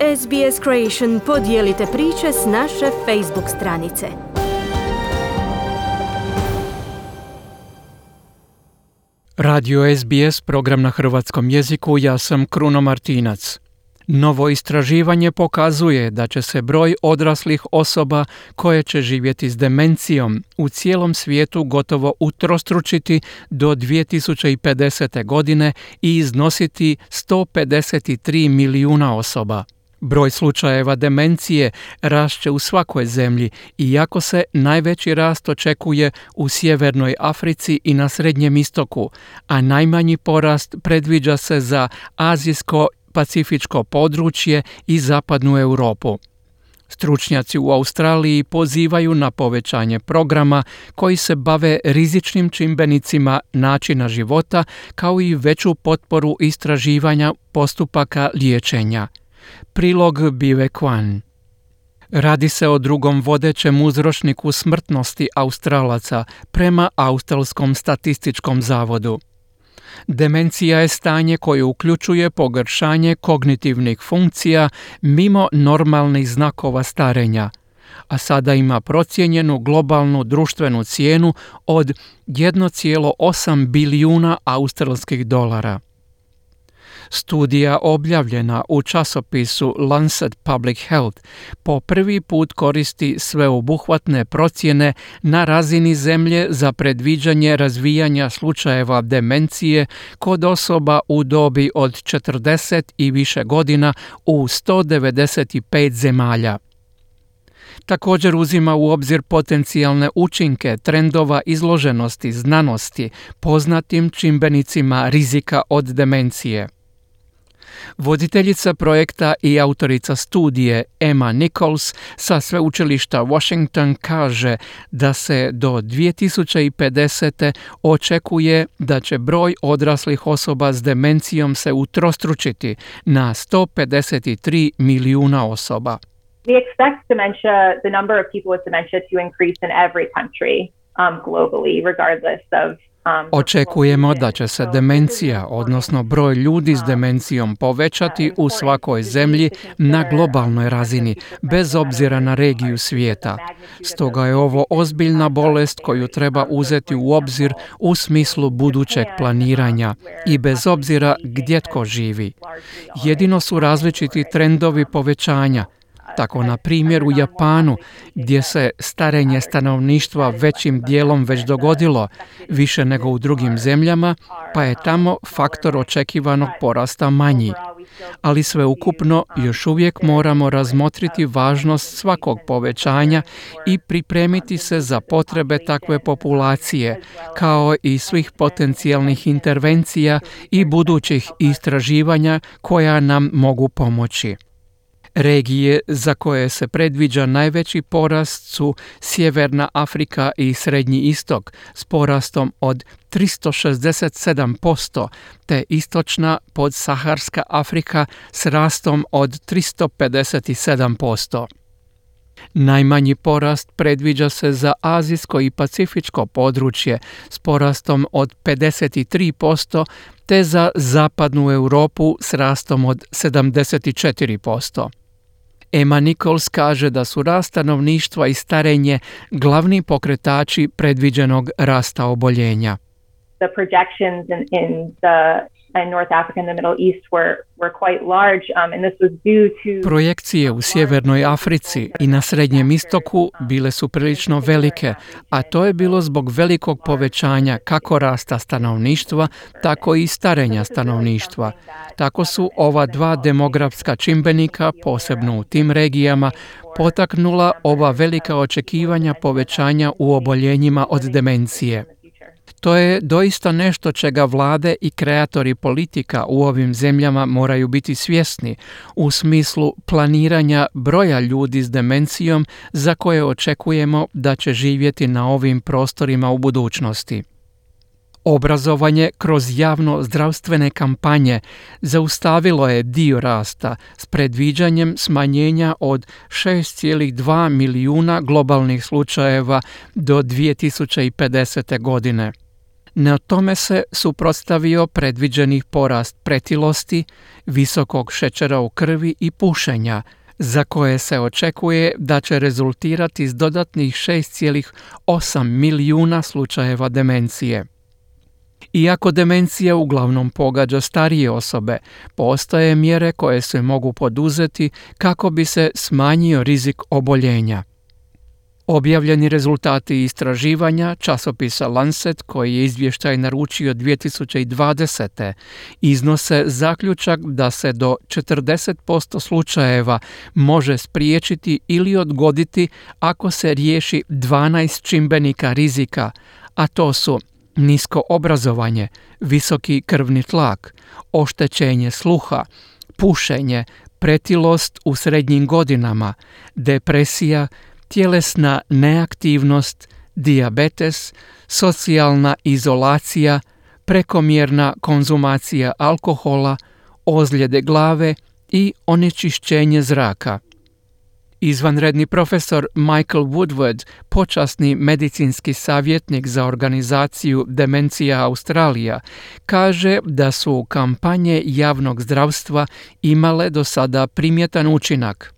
SBS Creation podijelite priče s naše Facebook stranice. Radio SBS, program na hrvatskom jeziku, ja sam Kruno Martinac. Novo istraživanje pokazuje da će se broj odraslih osoba koje će živjeti s demencijom u cijelom svijetu gotovo utrostručiti do 2050. godine i iznositi 153 milijuna osoba. Broj slučajeva demencije rašće u svakoj zemlji, iako se najveći rast očekuje u Sjevernoj Africi i na Srednjem istoku, a najmanji porast predviđa se za azijsko-pacifičko područje i zapadnu Europu. Stručnjaci u Australiji pozivaju na povećanje programa koji se bave rizičnim čimbenicima načina života, kao i veću potporu istraživanja postupaka liječenja. Prilog Bive Kwan. Radi se o drugom vodećem uzročniku smrtnosti Australaca prema Australskom statističkom zavodu. Demencija je stanje koje uključuje pogoršanje kognitivnih funkcija mimo normalnih znakova starenja, a sada ima procijenjenu globalnu društvenu cijenu od 1,8 bilijuna australskih dolara. Studija objavljena u časopisu Lancet Public Health po prvi put koristi sveobuhvatne procjene na razini zemlje za predviđanje razvijanja slučajeva demencije kod osoba u dobi od 40 i više godina u 195 zemalja. Također uzima u obzir potencijalne učinke trendova izloženosti znanosti poznatim čimbenicima rizika od demencije. Voditeljica projekta i autorica studije Emma Nichols sa sveučilišta Washington kaže da se do 2050. očekuje da će broj odraslih osoba s demencijom se utrostručiti na 153 milijuna osoba. We expect the number of people with dementia to increase in every country globally, regardless of Očekujemo da će se demencija, odnosno broj ljudi s demencijom povećati u svakoj zemlji na globalnoj razini, bez obzira na regiju svijeta. Stoga je ovo ozbiljna bolest koju treba uzeti u obzir u smislu budućeg planiranja i bez obzira gdje tko živi. Jedino su različiti trendovi povećanja. Tako, na primjer, u Japanu, gdje se starenje stanovništva većim dijelom već dogodilo, više nego u drugim zemljama, pa je tamo faktor očekivanog porasta manji. Ali sveukupno još uvijek moramo razmotriti važnost svakog povećanja i pripremiti se za potrebe takve populacije, kao i svih potencijalnih intervencija i budućih istraživanja koja nam mogu pomoći. Regije za koje se predviđa najveći porast su Sjeverna Afrika i Srednji istok s porastom od 367%, te Istočna podsaharska Afrika s rastom od 357%. Najmanji porast predviđa se za azijsko i pacifičko područje s porastom od 53%, te za zapadnu Europu s rastom od 74%. Emma Nichols kaže da su rast stanovništva i starenje glavni pokretači predviđenog rasta oboljenja. The projections in North Africa and the Middle East were quite large, and this was due to Projekcije u Sjevernoj Africi i na Srednjem istoku bile su prilično velike, a to je bilo zbog velikog povećanja kako rasta stanovništva, tako i starenja stanovništva. Tako su ova dva demografska čimbenika, posebno u tim regijama, potaknula ova velika očekivanja povećanja u oboljenjima od demencije. To je doista nešto čega vlade i kreatori politika u ovim zemljama moraju biti svjesni u smislu planiranja broja ljudi s demencijom za koje očekujemo da će živjeti na ovim prostorima u budućnosti. Obrazovanje kroz javno-zdravstvene kampanje zaustavilo je dio rasta s predviđanjem smanjenja od 6,2 milijuna globalnih slučajeva do 2050. godine. Na tome se suprotstavio predviđenih porast pretilosti, visokog šećera u krvi i pušenja, za koje se očekuje da će rezultirati s dodatnih 6,8 milijuna slučajeva demencije. Iako demencija uglavnom pogađa starije osobe, postoje mjere koje se mogu poduzeti kako bi se smanjio rizik oboljenja. Objavljeni rezultati istraživanja časopisa Lancet, koji je izvještaj naručio 2020. iznose zaključak da se do 40% slučajeva može spriječiti ili odgoditi ako se riješi 12 čimbenika rizika, a to su nisko obrazovanje, visoki krvni tlak, oštećenje sluha, pušenje, pretilost u srednjim godinama, depresija, tjelesna neaktivnost, dijabetes, socijalna izolacija, prekomjerna konzumacija alkohola, ozljede glave i onečišćenje zraka. Izvanredni profesor Michael Woodward, počasni medicinski savjetnik za organizaciju Demencija Australija, kaže da su kampanje javnog zdravstva imale do sada primjetan učinak.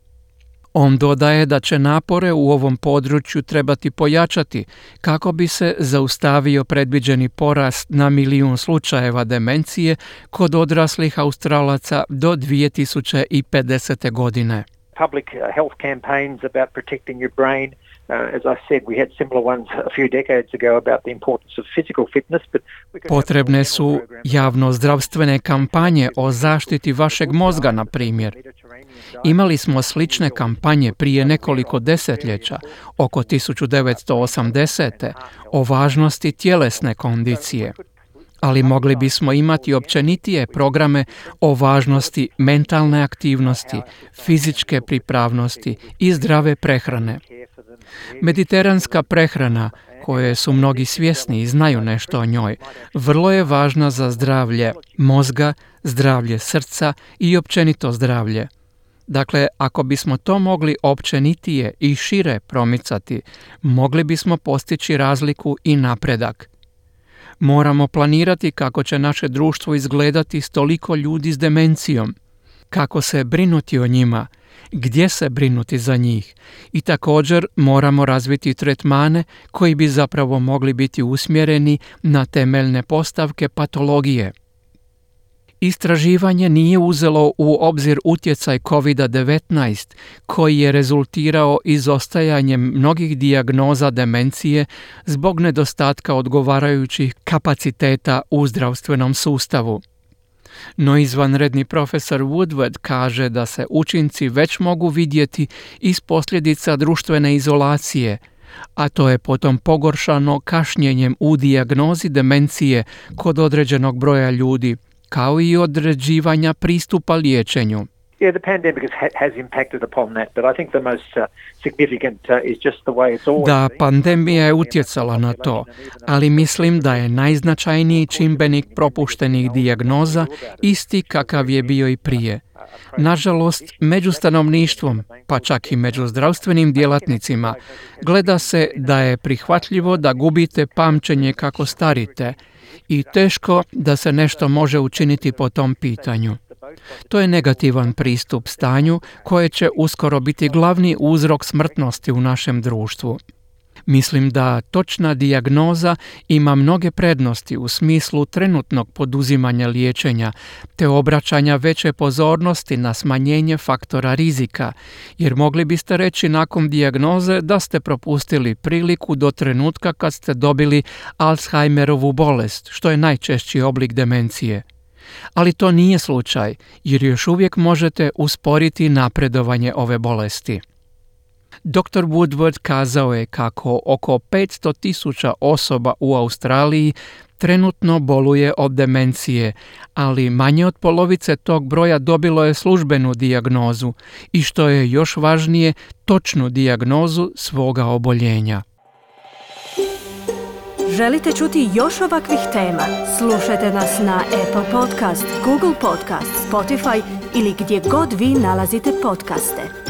On dodaje da će napore u ovom području trebati pojačati kako bi se zaustavio predviđeni porast na 1 milijun slučajeva demencije kod odraslih Australaca do 2050. godine. Public health campaigns about protecting your brain. As I said, we had similar ones a few decades ago about the importance of physical fitness. Potrebne su javno-zdravstvene kampanje o zaštiti vašeg mozga, na primjer. Imali smo slične kampanje prije nekoliko desetljeća, oko 1980. o važnosti tjelesne kondicije. Ali mogli bismo imati općenitije programe o važnosti mentalne aktivnosti, fizičke pripravnosti i zdrave prehrane. Mediteranska prehrana, koje su mnogi svjesni i znaju nešto o njoj, vrlo je važna za zdravlje mozga, zdravlje srca i općenito zdravlje. Dakle, ako bismo to mogli općenitije i šire promicati, mogli bismo postići razliku i napredak. Moramo planirati kako će naše društvo izgledati s toliko ljudi s demencijom, kako se brinuti o njima, gdje se brinuti za njih i također moramo razviti tretmane koji bi zapravo mogli biti usmjereni na temeljne postavke patologije. Istraživanje nije uzelo u obzir utjecaj COVID-19 koji je rezultirao izostajanjem mnogih dijagnoza demencije zbog nedostatka odgovarajućih kapaciteta u zdravstvenom sustavu. No izvanredni profesor Woodward kaže da se učinci već mogu vidjeti iz posljedica društvene izolacije, a to je potom pogoršano kašnjenjem u dijagnozi demencije kod određenog broja ljudi, kao i određivanja pristupa liječenju. Yeah, the pandemic has impacted upon that, but I think the most significant is just the way it's always Da, been. pandemija je utjecala na to, ali mislim da je najznačajniji čimbenik propuštenih dijagnoza isti kakav je bio i prije. Nažalost, među stanovništvom, pa čak i među zdravstvenim djelatnicima, gleda se da je prihvatljivo da gubite pamćenje kako starite i teško da se nešto može učiniti po tom pitanju. To je negativan pristup stanju koje će uskoro biti glavni uzrok smrtnosti u našem društvu. Mislim da točna dijagnoza ima mnoge prednosti u smislu trenutnog poduzimanja liječenja te obraćanja veće pozornosti na smanjenje faktora rizika, jer mogli biste reći nakon dijagnoze da ste propustili priliku do trenutka kad ste dobili Alzheimerovu bolest, što je najčešći oblik demencije. Ali to nije slučaj, jer još uvijek možete usporiti napredovanje ove bolesti. Dr. Woodward kazao je kako oko 500.000 osoba u Australiji trenutno boluje od demencije, ali manje od polovice tog broja dobilo je službenu dijagnozu i što je još važnije, točnu dijagnozu svoga oboljenja. Želite čuti još ovakvih tema? Slušajte nas na Apple Podcast, Google Podcast, Spotify ili gdje god vi nalazite podcaste.